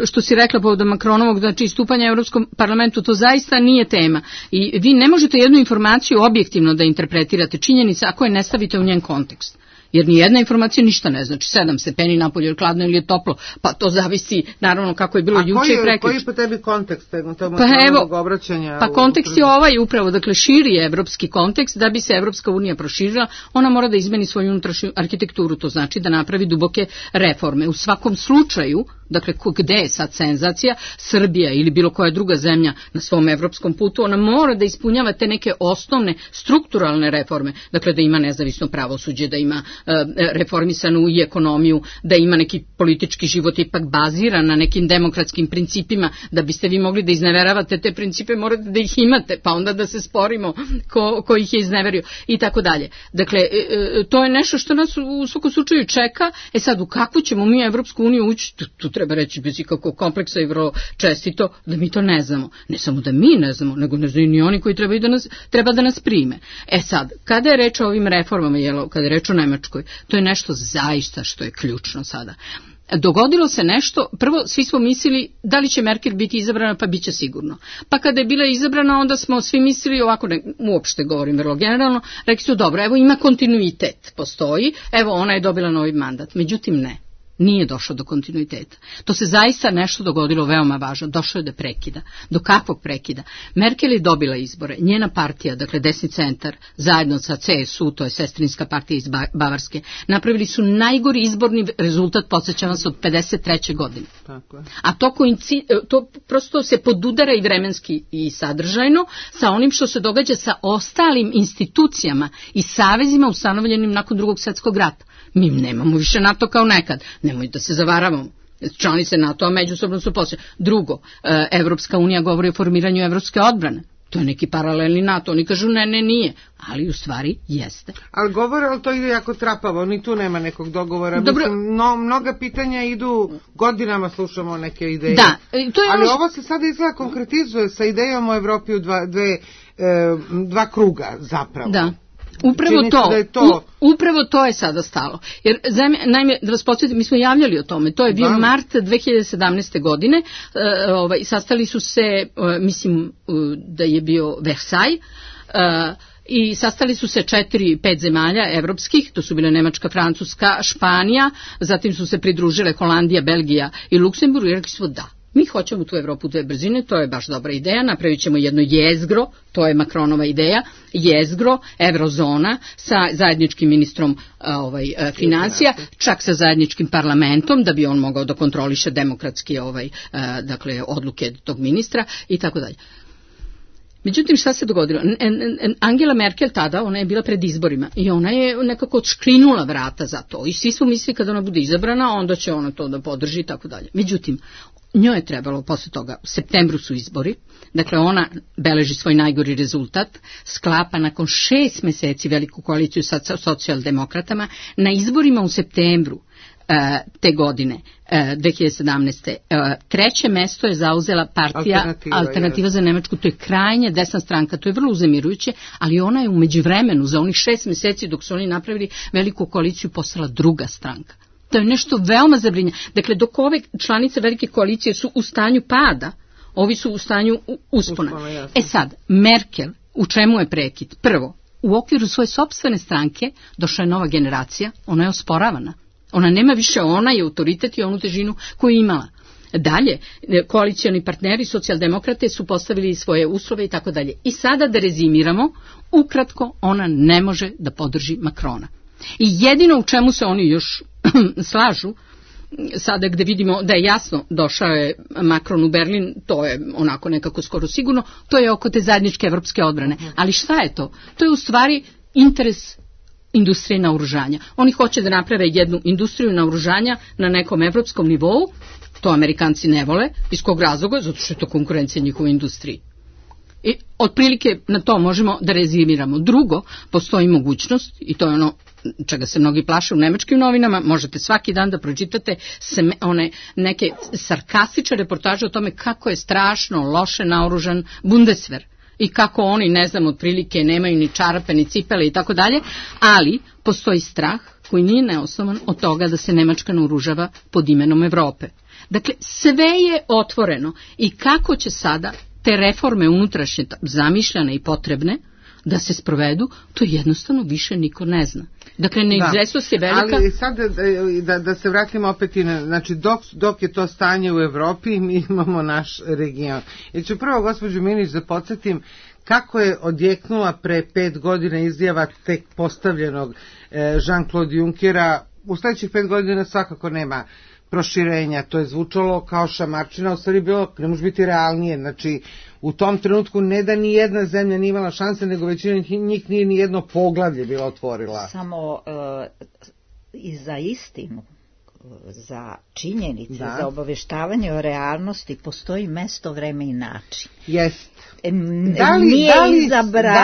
što si rekla povodom Macronovog, znači istupanja Evropskom parlamentu, to zaista nije tema i vi ne možete jednu informaciju objektivno da interpretirate činjenice ako je ne stavite u njen kontekst. Jer nijedna informacija ništa ne znači. 7 stepeni napolje, hladno ili je toplo, pa to zavisi naravno kako je bilo juče i prekjuče. A koji je po tebi kontekst obraćanja? Pa kontekst je ovaj upravo, dakle širi je evropski kontekst, da bi se Evropska unija proširila, ona mora da izmeni svoju unutrašnju arhitekturu, to znači da napravi duboke reforme. U svakom slučaju, dakle gde je sad senzacija, Srbija ili bilo koja druga zemlja na svom evropskom putu, ona mora da ispunjava te neke osnovne strukturalne reforme, dakle da ima nezavisno pravosuđe, da ima reformisanu i ekonomiju, da ima neki politički život ipak baziran na nekim demokratskim principima, da biste vi mogli da izneveravate te principe, morate da ih imate, pa onda da se sporimo ko ih je izneverio i tako dalje. Dakle, to je nešto što nas u svakom slučaju čeka. Sad, u kakvu ćemo mi Evropsku uniju ući, tu treba reći bez ikakvog kompleksa i vrlo čestito da mi to ne znamo. Ne samo da mi ne znamo, nego ne znaju ni oni koji treba da nas prime. Sad, kada je reč o ovim reformama, kada je reč o Nemačkoj, to je nešto zaista što je ključno sada. Dogodilo se nešto, prvo svi smo mislili da li će Merkel biti izabrana, pa bit će sigurno. Pa kada je bila izabrana, onda smo svi mislili, ovako uopšte govorim vrlo generalno, rekli su dobro, evo ima kontinuitet, postoji, evo ona je dobila novi mandat. Međutim ne. Nije došlo do kontinuiteta. To se zaista nešto dogodilo veoma važno. Došlo je do prekida. Do kakvog prekida? Merkel je dobila izbore. Njena partija, dakle desni centar, zajedno sa CSU, to je sestrinska partija iz Bavarske, napravili su najgori izborni rezultat, podsjećam vas, od 53. godine. Tako je. A to prosto se podudara i vremenski i sadržajno sa onim što se događa sa ostalim institucijama i savezima ustanovljenim nakon Drugog svjetskog rata. Mi nemamo više NATO kao nekad. Nemoj da se zavaravamo. Članice NATO-a međusobno su posljedno. Drugo, Evropska unija govori o formiranju evropske odbrane. To je neki paralelni NATO. Oni kažu ne, nije. Ali u stvari jeste. Ali govore, ali to ide jako trapavo. Ni tu nema nekog dogovora. Dobro. Mislim, mnoga pitanja idu, godinama slušamo neke ideje. Da, to je ali ovo se sada izgleda konkretizuje sa idejom o Evropi u dva kruga zapravo. Da. Upravo to je sada stalo. Jer, naime, da vas podsjetim, mi smo javljali o tome, to je bio mart 2017. godine, sastali su se, mislim da je bio Versailles, i sastali su se 4-5 zemalja evropskih, to su bile Nemačka, Francuska, Španija, zatim su se pridružile Holandija, Belgija i Luksemburg i rekli su da. Mi hoćemo tu Evropu dve brzine, to je baš dobra ideja, napravit ćemo jedno jezgro, to je Macronova ideja, jezgro, eurozona sa zajedničkim ministrom financija, čak sa zajedničkim parlamentom, da bi on mogao da kontroliše demokratski dakle, odluke tog ministra i tako dalje. Međutim, šta se dogodilo? Angela Merkel tada, ona je bila pred izborima i ona je nekako odškrinula vrata za to i svi smo mislili kada ona bude izabrana, onda će ona to da podrži i tako dalje. Međutim, njoj je trebalo posle toga, u septembru su izbori, dakle ona beleži svoj najgori rezultat, sklapa nakon 6 meseci veliku koaliciju sa socijaldemokratama, na izborima u septembru te godine, 2017. Treće mesto je zauzela partija Alternativa za Nemačku, to je krajnje desna stranka, to je vrlo uzemirujuće, ali ona je u međuvremenu za onih 6 meseci dok su oni napravili veliku koaliciju postala druga stranka. To je nešto veoma zabrinjavajuće. Dakle, dok ove članice velike koalicije su u stanju pada, ovi su u stanju uspona. Sad, Merkel, u čemu je prekid? Prvo, u okviru svoje sopstvene stranke došla je nova generacija, ona je osporavana. Ona nema više onaj autoritet i onu težinu koju je imala. Dalje, koalicioni partneri, socijaldemokrate su postavili svoje uslove i tako dalje. I sada da rezimiramo, ukratko, ona ne može da podrži Macrona. I jedino u čemu se oni još slažu, sada gde vidimo da je jasno došao je Macron u Berlin, to je onako nekako skoro sigurno, to je oko te zajedničke evropske odbrane. Ali šta je to? To je u stvari interes industrije naoružanja. Oni hoće da naprave jednu industriju naoružanja na nekom evropskom nivou, to Amerikanci ne vole, iz kog razloga? Zato što je to konkurencija njihovoj industriji. I otprilike na to možemo da rezimiramo. Drugo, postoji mogućnost, i to je ono čega se mnogi plaše u nemačkim novinama, možete svaki dan da pročitate one neke sarkastične reportaže o tome kako je strašno loše naoružan Bundeswehr i kako oni, ne znam, otprilike nemaju ni čarape, ni cipele i tako dalje, ali postoji strah koji nije neosnovan od toga da se Nemačka naoružava pod imenom Evrope. Dakle, sve je otvoreno i kako će sada te reforme unutrašnje zamišljane i potrebne da se sprovedu, to jednostavno više niko ne zna. Dakle, neizvesnost je velika. Ali sad da se vratimo opet i znači dok je to stanje u Evropi, mi imamo naš region. Ja ću prvo, gospođu Minić, da podsjetim kako je odjeknula pre 5 godina izjava tek postavljenog Jean-Claude Junckera. U sledećih 5 godina svakako nema proširenja, to je zvučalo kao šamarčina, u stvari bilo, ne može biti realnije, znači u tom trenutku ne da ni jedna zemlja nije imala šanse, nego većina njih nije ni jedno poglavlje bila otvorila. Samo i za istinu, za činjenice, za obaveštavanje o realnosti postoji mesto, vreme i način. Jest. Da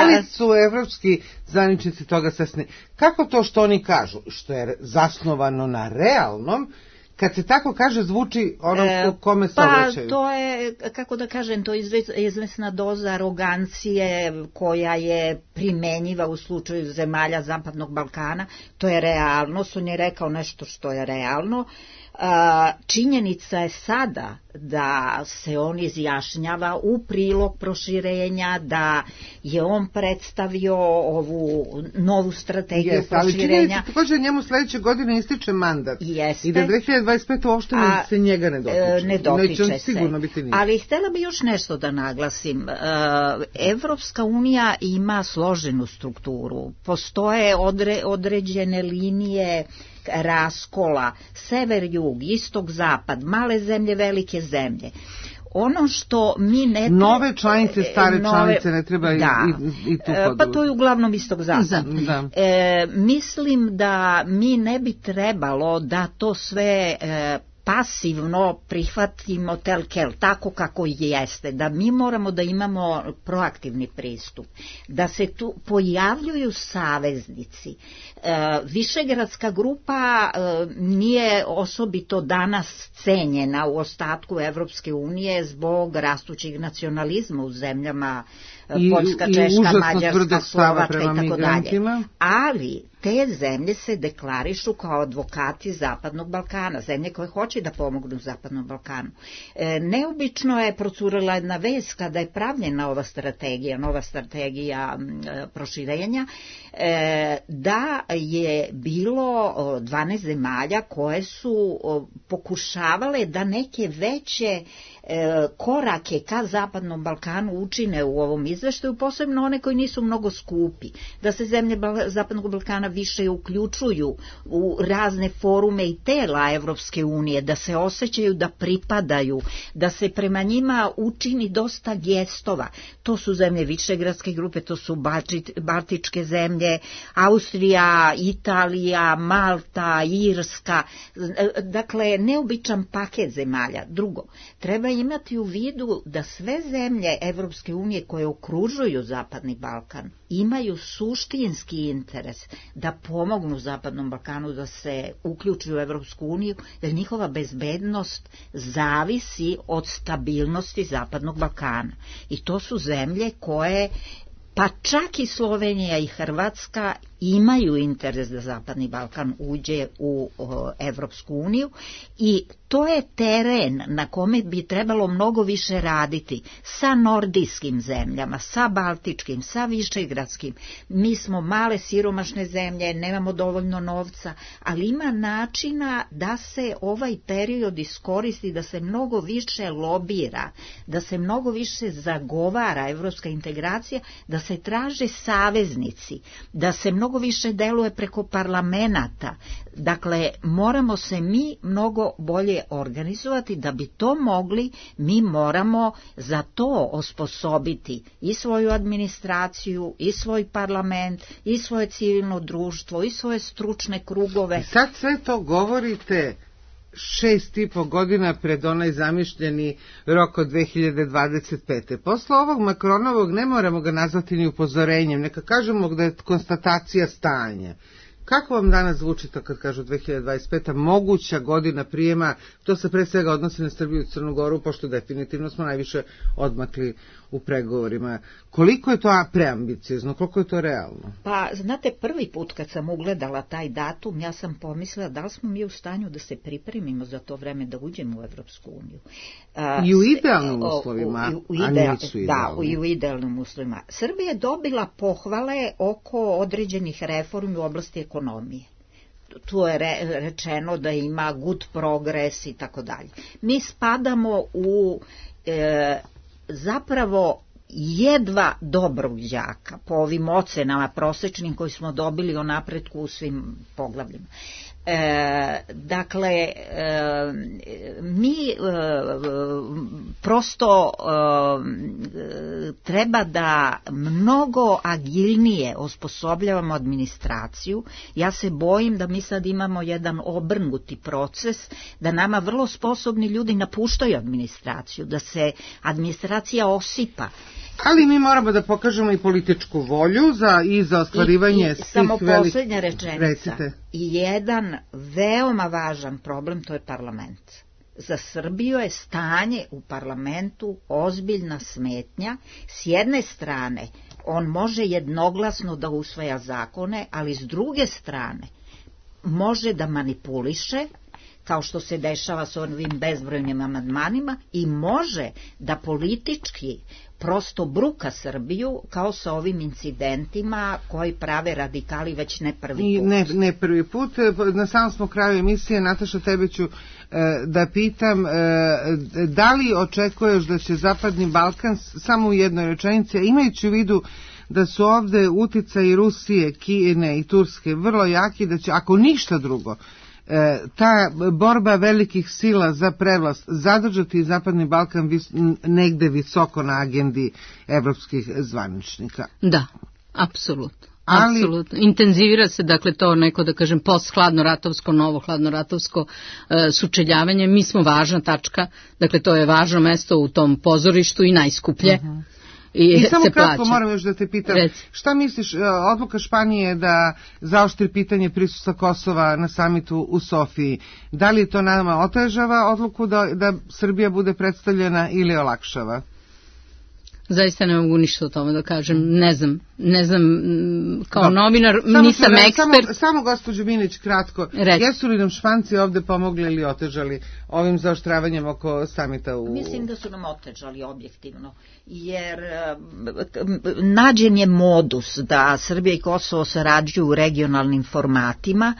li su evropski zvaničnici toga svesni? Kako to što oni kažu, što je zasnovano na realnom, kad se tako kaže, zvuči ono kome se obraćaju? Pa to je, kako da kažem, to je izvesna doza arogancije koja je primenjiva u slučaju zemalja Zapadnog Balkana. To je realnost, on je rekao nešto što je realno. Činjenica je sada da se on izjašnjava u prilog proširenja, da je on predstavio ovu novu strategiju proširenja. Ali činjenica također njemu sledeće godine ističe mandat. Jeste. I da 2025. uopšte se njega ne dotiče. Ne dotiče se. Sigurno biti nije. Ali htjela bi još nešto da naglasim. Evropska unija ima složenu strukturu. Postoje određene linije raskola, sever-jug, istok-zapad, male zemlje, velike zemlje. Ono što mi ne... Nove članice, stare članice ne treba i tu područje. Pa to je uglavnom istog-zapad. Mislim da mi ne bi trebalo da to sve pasivno prihvatimo telkel, tako kako jeste, da mi moramo da imamo proaktivni pristup, da se tu pojavljuju saveznici. Višegradska grupa nije osobito danas cenjena u ostatku Evropske unije zbog rastućeg nacionalizma u zemljama Poljska, Češka, Mađarska, Slovačka i tako dalje. Ali te zemlje se deklarišu kao advokati Zapadnog Balkana, zemlje koje hoće da pomognu Zapadnom Balkanu. Neobično je procurila jedna vest kada je pravljena ova strategija proširenja, da je bilo 12 zemalja koje su pokušavale da neke veće korake ka Zapadnom Balkanu učine u ovom izveštaju, posebno one koji nisu mnogo skupi, da se zemlje Zapadnog Balkana više uključuju u razne forume i tela Evropske unije, da se osjećaju da pripadaju, da se prema njima učini dosta gestova. To su zemlje Višegradske grupe, to su Baltičke zemlje, Austrija, Italija, Malta, Irska, dakle neobičan paket zemalja. Drugo, treba imati u vidu da sve zemlje Evropske unije koje okružuju Zapadni Balkan imaju suštinski interes da pomognu Zapadnom Balkanu da se uključi u Evropsku uniju, jer njihova bezbednost zavisi od stabilnosti Zapadnog Balkana. I to su zemlje koje, pa čak i Slovenija i Hrvatska, imaju interes da Zapadni Balkan uđe u Evropsku uniju i to je teren na kome bi trebalo mnogo više raditi sa nordijskim zemljama, sa baltičkim, sa višegradskim. Mi smo male siromašne zemlje, nemamo dovoljno novca, ali ima načina da se ovaj period iskoristi, da se mnogo više lobira, da se mnogo više zagovara evropska integracija, da se traže saveznici, da se mnogo više deluje preko parlamenata. Dakle, moramo se mi mnogo bolje organizovati. Da bi to mogli, mi moramo za to osposobiti i svoju administraciju, i svoj parlament, i svoje civilno društvo, i svoje stručne krugove. I sad sve to govorite 6,5 godina pred onaj zamišljeni rok od 2025. Posle ovog Makronovog ne moramo ga nazvati ni upozorenjem, neka kažemo da je konstatacija stanja. Kako vam danas zvuči to kad kažu 2025. moguća godina prijema? To se pre svega odnosi na Srbiju i Crnu Goru, pošto definitivno smo najviše odmakli u pregovorima. Koliko je to preambiciozno, koliko je to realno? Pa, znate, prvi put kad sam ugledala taj datum, ja sam pomislila da li smo mi u stanju da se pripremimo za to vreme da uđemo u Evropsku uniju. I u idealnim uslovima, a nisu idealni. Da, i u idealnim uslovima. Srbija je dobila pohvale oko određenih reformi u oblasti ekonomije. Tu je rečeno da ima good progress i tako dalje. Mi spadamo u zapravo jedva dobrog đaka po ovim ocenama prosečnim koji smo dobili o napretku u svim poglavljima. Dakle, mi prosto treba da mnogo agilnije osposobljavamo administraciju. Ja se bojim da mi sad imamo jedan obrnuti proces, da nama vrlo sposobni ljudi napuštaju administraciju, da se administracija osipa. Ali mi moramo da pokažemo i političku volju i za ostvarivanje svih samo poslednja rečenica. Recite. I jedan veoma važan problem, to je parlament. Za Srbiju je stanje u parlamentu ozbiljna smetnja. S jedne strane, on može jednoglasno da usvaja zakone, ali s druge strane može da manipuliše, kao što se dešava s ovim bezbrojnim amandmanima, i može da politički prosto bruka Srbiju, kao sa ovim incidentima koji prave radikali već ne prvi put. Ne prvi put. Na samom smo kraju emisije. Nataša, tebe ću da pitam, da li očekuješ da će Zapadni Balkan, samo u jednoj rečenici, imajući u vidu da su ovde uticaji Rusije, Kine i Turske vrlo jaki, da će, ako ništa drugo, ta borba velikih sila za prevlast zadržati Zapadni Balkan negde visoko na agendi evropskih zvaničnika? Da, apsolutno. Apsolutno. Intenzivira se, dakle, to neko, da kažem, post-hladnoratovsko, novo hladnoratovsko sučeljavanje. Mi smo važna tačka, dakle, to je važno mesto u tom pozorištu i najskuplje. I samo kratko moram još da te pitam, šta misliš, odluka Španije da zaoštri pitanje prisustva Kosova na samitu u Sofiji, da li to nama otežava odluku da Srbija bude predstavljena ili olakšava? Zaista ne mogu ništa o tome da kažem, ne znam kao novinar, nisam ekspert. Samo gospođo Minić, kratko, jesu li nam Španci ovde pomogli ili otežali ovim zaoštravanjem oko samita u... Mislim da su nam otežali objektivno, jer nađen je modus da Srbija i Kosovo sarađuju u regionalnim formatima.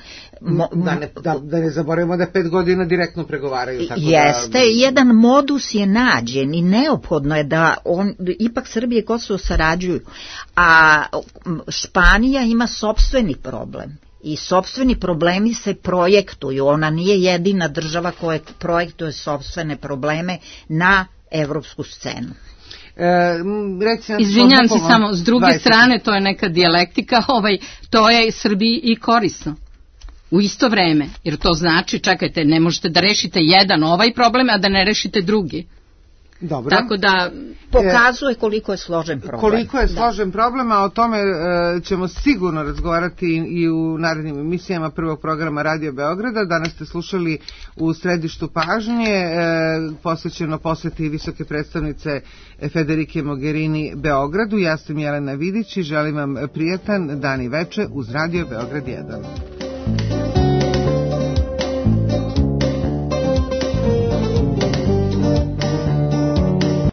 Da ne zaboravimo da 5 godina direktno pregovaraju. Jeste, jedan modus je nađen i neophodno je da ipak Srbija i Kosovo sarađuju, a Španija ima sopstveni problem i sopstveni problemi se projektuju, ona nije jedina država koja projektuje sopstvene probleme na evropsku scenu. Izvinjam se samo, s druge strane to je neka dijalektika, to je Srbiji i korisno u isto vreme, jer to znači, čekajte, ne možete da rešite jedan ovaj problem, a da ne rešite drugi. Dobro. Tako da pokazuje koliko je složen problem. Koliko je složen problem, a o tome ćemo sigurno razgovarati i u narednim emisijama prvog programa Radio Beograda. Danas ste slušali U središtu pažnje, posvećeno poseti visoke predstavnice Federike Mogherini Beogradu. Ja sam Jelena Vidić i želim vam prijatan dan i veče uz Radio Beograd 1.